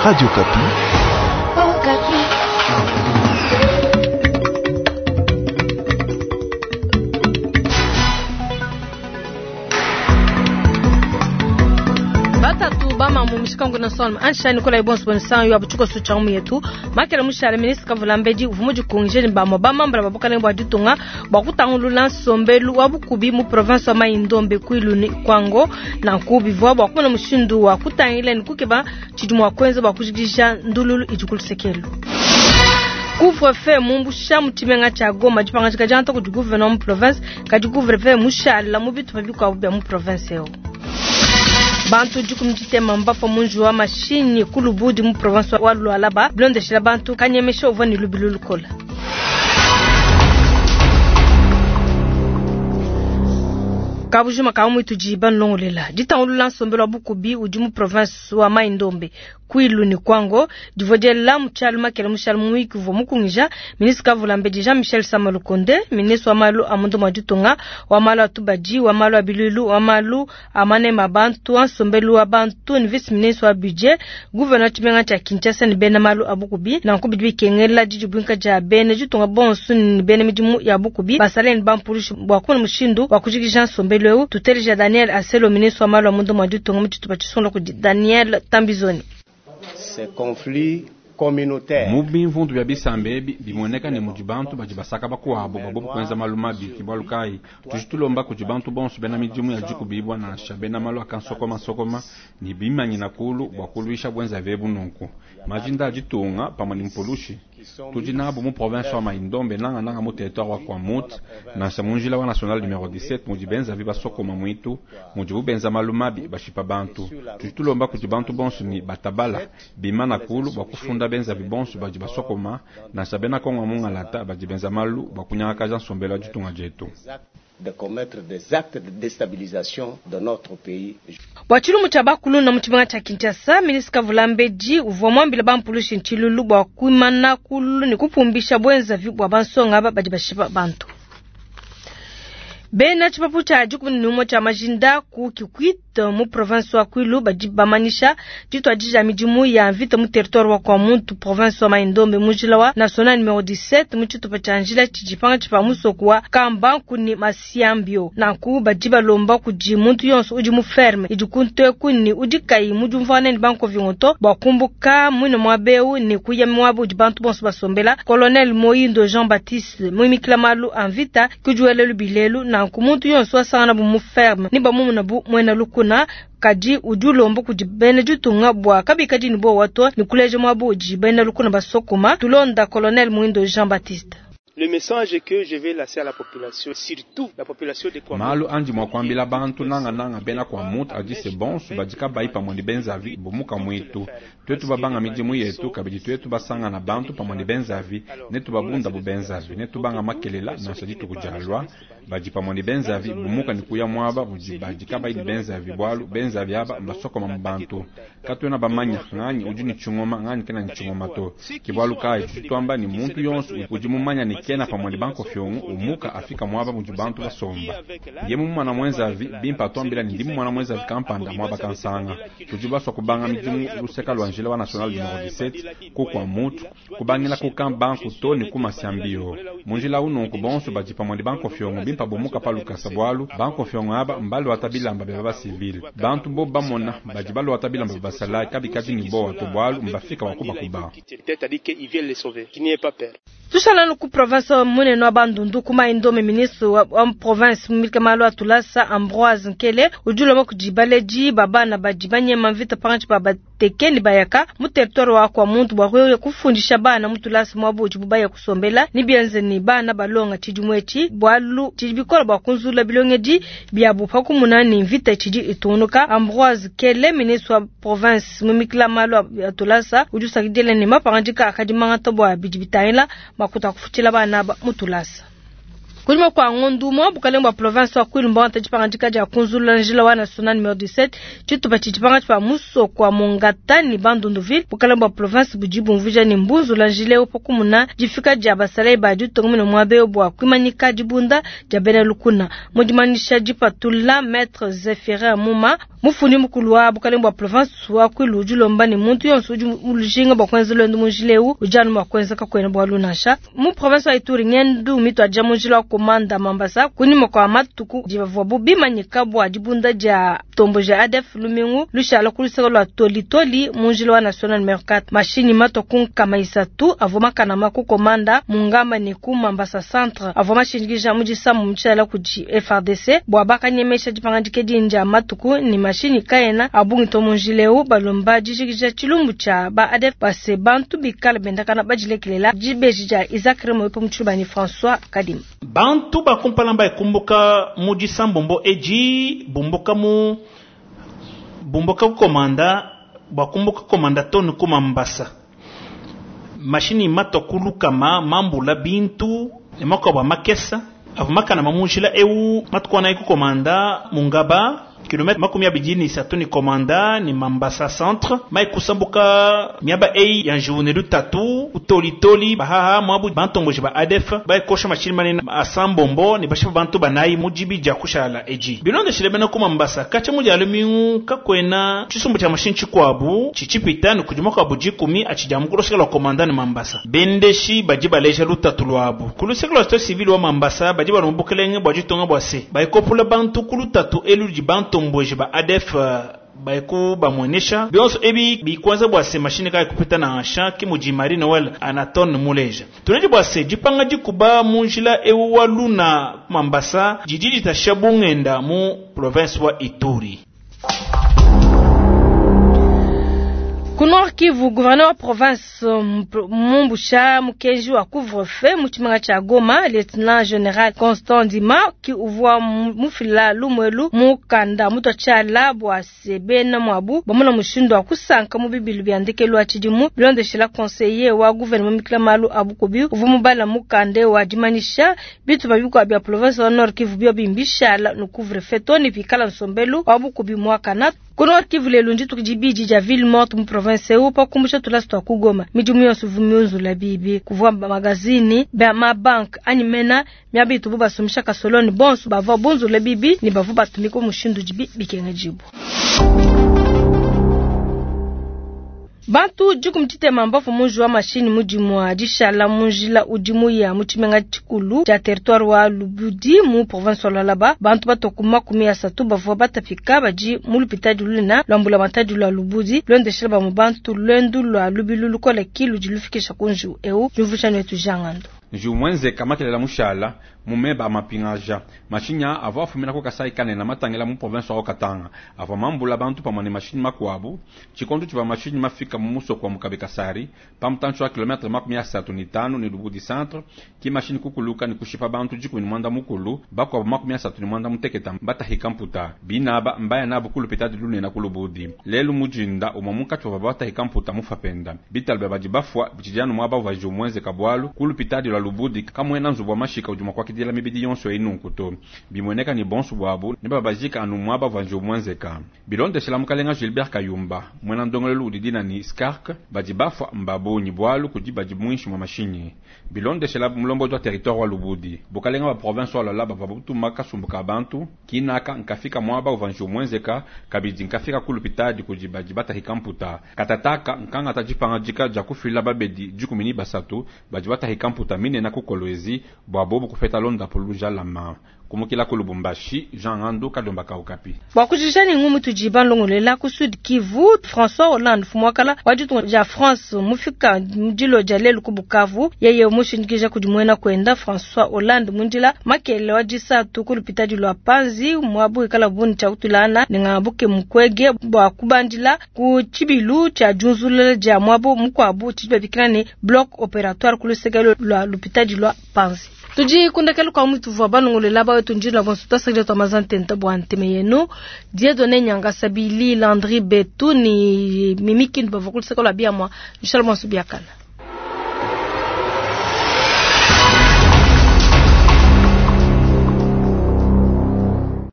Radio Okapi. Okapi. Batatu bamamu mishikangu na solma ansha nikola ibonso bonsan yo abuchuko sucha mu yetu makela mushale ministre kavulambedi uvumu dikunje ni bamwa bamambala babukalenge bwa ditunga bwa kutangulula nsombelu wa bukubi mu province wa Mai-Ndombe kwilu ni kwango na nkubi vwa bwa kumona mushindu wa kutangila ni kukeba tshidi mua kuenza bwa kujikija ndululu idi ku lusekelu. Couvre-feu mumbusha mu tshimenga tshia Goma dipangadika dia ntoku di gouverneur mu province kadi couvre-feu mushala mu bitupa bikuabu bia mu province eu. Bantu dikumi ditema mbafua mu njiwu wa mashinyi ku Lubudi mu province wa Lualaba bilondeshila bantu kanyemesha uvua ne lubilu lukola. Kabujima ka muitu di banlongolela ditangulula nsombelu wa bukubi udi mu province wa Mai-Ndombe Kwilu ni Kwango divua diela mu tshialu makela mushala mu wiki uvua mukungija ministre Kavulambedi Jean-Michel Sama Lukonde ministre wa malu a munda mua ditunga wa malu a tubadi wa malu a biluilu wa malu a manema a bantu wa nsombelu wa bantu ni vice ministre wa budget gouverneur wa tshimenga tshia Kinshasa ni bena malu a bukubi nanku bidi bikengela didibuinka dia bena ditunga bonso ni bena midimu ya bukubi basale ni bampulushi bua kumona mushindu wa kujikija nsombelu eu. Tuteleja Daniel Aselo ministre wa malu a munda mua ditunga mu tshitupa tshisungula kudi Daniel Tambizoni. Ces conflits communautaires. Mu bimvundu bia bisamba ebi bimueneka ne mudi bantu badi basaka bakuabu bua bobu kuenza malu mabi. Ke bualu kayi tudi tulomba kudi bantu bonso bena midimu ya dikubibua nansha bena malu a kansokomasokoma ne bimanyina kulu bua kuluisha buenzavi ebu nunku. Majinda a ditunga pamue ne mpulushi tudi nabu mu province wa Mai-Ndombe nangananga mu territoire wa Kwamouth nansha mu njila wa national numero 17 mudi benzavi basokoma muitu mudibu benza malu mabi bashipa bantu. Tudi tulomba kudi bantu bonso ne batabala bimana kulu bua kufunda benzavi bonso badi basokoma nansha bena Kongo mungalata badi benza malu bua kunyangakaja nsombelu wa ditunga dietu. De commettre des actes de déstabilisation de notre pays. Bua tshilumbu tshia bakuluna mu tshimenga tshia Kinshasa, ministre Kavulambedi uvua muambile bampulushi ntshilulu bua kuimana kulu ne kupumbisha buenzavi bua bansonga aba badi bashipa bantu. Bena tshipapu tshia dikumi ne umue tshia majinda ku Kikwit mu province wa Kwilu badi bamanyisha dituadija midimu ya mvita mu territoire wa Kwamouth province wa Mai-Ndombe mu njila wa national numero 17 mu tshitupa tshia njila tshidi pangatshi pa musoko wa Kambanku ne Masiambio. Nanku badi balomba kudi muntu yonso udi mu ferme idi ku nteku ne udi kayi mu diumvuangana ne bankovingoto bua kumbuka muine muaba eu ne kuya muaba udi bantu bonso basombela. Colonel Moyindo Jean-Baptiste muimikila malu a mvita kudiwela lubilelu nanku muntu yonso wasangana bu mu ferme ne bamumuna bu muena lukuna kadi udi ulomba kudi bena ditunga bua kabikadi ne buowa to ne kuleja muaba udi bena lukuna basokoma. Tulonda Colonel Moyindo Jean-Baptiste. Le message que je vais lancer à la population, surtout la population de Kwamouth. Malu andi mua kuambila bantu nanga nanga bena Kwamouth adi se bonso badi kabayi pamue ne benzavi bumuka muitu. Tuetu babanga midimu yetu kabidi tuetu basangana bantu pamue ne benzavi ne tubabunda bu benzavi ne tubanga makelela nansha dituku dialua badi pamue ne benzavi bumuka ne kuya muaba udi badi kabayi ne benzavi bualu benzavi aba mbasokoma mu bantu. Katuena bamanya nganyi udi ne tshingoma nganyi kena ne tshingoma to. Ke bualu kayi tudi tuamba ne muntu yonso udi mumanya ne kena pamue ne bankofiongo umuka afika muaba mudi bantu basomba. Ye mumana mwenzavi bimpa atuambila ne ndi mumana mwenzavi kampanda muaba kansanga. Tudi basua kubanga midimu luseka lua njila wa national numero 17 ku Kwamouth kubangila ku camp banku to ne ku Masiambio. Mu njila ununku bonso badi pamue ne bankofiongo bimpa bomuka pa lukasa bualu bankofiongo aba mbaluata bilamba bia ba civil. Bantu bo bamona badi baluata bilamba bia basalayi kabikadi ne bowa to bualu mbafika wa kubakuba. Tushala ku province munene wa Bandundu ku Mai-Ndombe ministre wa province mumilika malu a tulasa Ambroise Nkele udi ulomba kudi baledi ba bana badi banyema mvita pangatshi pa bateke ne bayaka mu territoire wa Kwamouth bua kuya kufundisha bana mu tulasa muaba udibu baya kusombela ne bienze ne bana balonga tshidimu etshi bualu tshidi bikola bua kunzula bilongedi biabu pa kumuna ne mvita tshidi itungunuka. Ambroise Nkele ministre wa province mumikila malu a tulasa udi usakidila ne mapangadika akadi mangata bua bidi bitangila makuta kufutshila bana ba mu tulasa. Kunyima kua ngondu umue, bukalenge bua province wa Kwilu mbuangata dipangadika dia kunzulula njila wa national numero 17 tshitupa tshidi pankatshi pa musoko wa Mongata ne Bandunduville. Bukalenge bua province budi bumvuija ne mbunzula njila eu pa kumuna difika dia basalayi ba ditunga mune muaba eu bua kuimanyika dibunda dia bena lukuna. Mu dimanyisha dipatula Maitre Zephyrin Muma, Mufundi mukulu wa bukalenge bua province wa Kwilu udi ulomba ne muntu yonso udi ulujinga bua kuenza luendu mu njila eu udi anu mua kuenza kakuena bualu nansha. Mu province wa Ituri ngendu mituadija mu njila wa Komanda Mambasa kunyima kua matuku divuabu bimanyika bua dibunda dia ntomboji ya ADF lumingu lushala ku luseke lua Tolitoli mu njila wa national numero 4. Mashinyi matua ku 300 avua makanama ku Komanda Mungamba ne ku Mambasa centre avua mashindikija mu disambu mutshiala kudi FARDC bua bakanyemesha dipangadika edi ndia matuku ne mashinyi kaena a bungi to mu njila eu balomba dijikija tshilumbu tshia ba ADF base bantu bikale bendakana badilekelela. Dibeji dia Isaac Remoyo pa mutshilu banyi François Kadima. Bantu ba kumpala mbakumbuka mu disambombo edi bumbuka mu bumbuka kukomanda bakumbuka komanda tonu ku Mambasa. Mashinyi matua kulukama mambula bintu ne makuabu a makesa avua makanama mu njila eu matuku anayi kukomanda mungaba kilomètre 23 ni komanda ni Mambasa centre mai kusambuka miaba eyi ya njiwu ne lutatu utolitoli bahaha mwabu bantomboji ba ADF baikosha mashini manene asambombo ne bashipa bantu banayi mu dibi dia kushala edi bilondeshile bena ku Mambasa katsha mu dia lumingu kakuena tshisumbu tshia mashini tshikuabu tshitshipita ne kudi makuabu dikumi atshidia mu kuluseke lua komanda ne Mambasa bendeshi badi baleja lutatu luabu ku luseke lua société civile wa Mambasa badi balomba bukelenge bua ditunga bua se baikopula bantu ku lutatu elu ludi bantomboji ba ADF baiku bamuenesha bionso ebi bikwanza bua se mashini kayi kupita nansha ke mudi Marie Noel Anatone muleja tuneji bua se dipanga dikuba mu njila ewu wa Luna Mambasa didi ditasha bungenda mu province wa Ituri. Ku Nord Kivu, gouverneur wa province mumbusha mukenji wa couvre-feu mu tshimenga tshia Goma, lieutenant general Constant Ndima ki uvua mufila lumuelu mukanda mutua tshiala bua se bena muabu bamona mushindu wa kusanka mu bibilu bia ndekelu wa tshidimu bilondeshela conseiller wa gouvernement mikila malu a bukubi uvua mubala mukanda wa dimanyisha bitupa bikuabu bia province wa Nord Kivu bio bimbishala no couvre-feu to ne pikala nsombelu wa bukubi muakana. Ku Nord Kivu lelu ndituku dibidi dia ville morte mu province eu pa kumbusha tulasa tua ku Goma. Midimu yonso ivua miunzula bibi kuvua magazini ba mabanke anyi mena miaba itubu basumbisha kasoloni bonso bavua bunzula bibi ne bavua batumika mushindu dibi bikengedibua. Bantu 30 mbafu munji wa mashini mudimu wa dishala mu njila udi muya mu tshimenga tshikulu tshia territoire wa Lubudi mu province wa Lualaba. Bantu batoku 30 bavua batapika badi mu lupitadi lunene lwa mbulamatadi lwa Lubudi lwendeshela bamwe bantu lwendu lwa lubilu lukole ki ludi lufikisha ku njiwu eu diumvuija netu Jean Ngando. Njiwu mwenzeka makelela mushala mumeba amapingaja mashinya avua afumina ku Kasai kanene matangila mu province wa Katanga avua mambula bantu pamue ne mashinyi makuabu tshikondo tshivua mashinyi mafika mu musoko wa Mukabe Kasari pa mutantshi wa kilomètre 35 ne Lubudi centre ki mashinyi kukuluka ne kushipa bantu 18 bakuabu 36 mbatahika mputa binaba mbaya nabu kulupitadi lunene ku Lubudi lelu mujinda umue munkatshi wa batahika mputa mufapenda bitalu bia badi bafua bichidianu muaba uvua njiwu mwenzeka bualu kulupitadi lwa Lubudi kamwena nzubu wa mashika udi mua kuakidila mibidi yonso inunku to bimweneka ni bonso bwabu ne babajika anu muaba uvua njiwu mwenzeka bilondeshela mukalenga Gilbert Kayumba mwena ndongolelu udi dina ni Skark badi bafua mbabunyi bualu kudi badi mwinshi mwa mashinyi bilondeshela mulombodi wa territoire wa Lubudi bukalenga wa province wa Lualaba bavua butuma kasumbu ka bantu kinaka nkafika muaba uvua njiwu mwenzeka kabidi nkafika kulupitadi kudi badi batahika mputa katataka nkangata dipangadika dia kufila babedi 13 badi batahika mputa minene ku Kolwezi bua bobu kupeta londapo lujalama kumukila ku Lubumbashi Jean Ngandu Kalomba Kaukapi. Bua kujija ne ngumu tudi balongolela ku Sud Kivu François Hollande fumuakala wa ditunga dia France mufika mudilo dia lelu ku Bukavu yeye mushindikija kudi muena kwenda François Hollande mundila makele wa disatu ku lupitadi lwa Panzi mwabu ikala buni tshia kutulana ne ngabuke mukwege bua kubandila ku tshibilu tshia junzulula dia mwabu mukuabu tshidi ne bloc opératoire ku luseke lwa lupitadi lwa Panzi. Tudi kundekelu kwa mutu vua balongolela bawetu njila bonso tasakile twa mazantenta bua nteme yenu Dieudonné Nyanga Sabili Landry Betu ni Mimi Kindu bavua kuluseke lwa biamwa inshallah bonso biakana.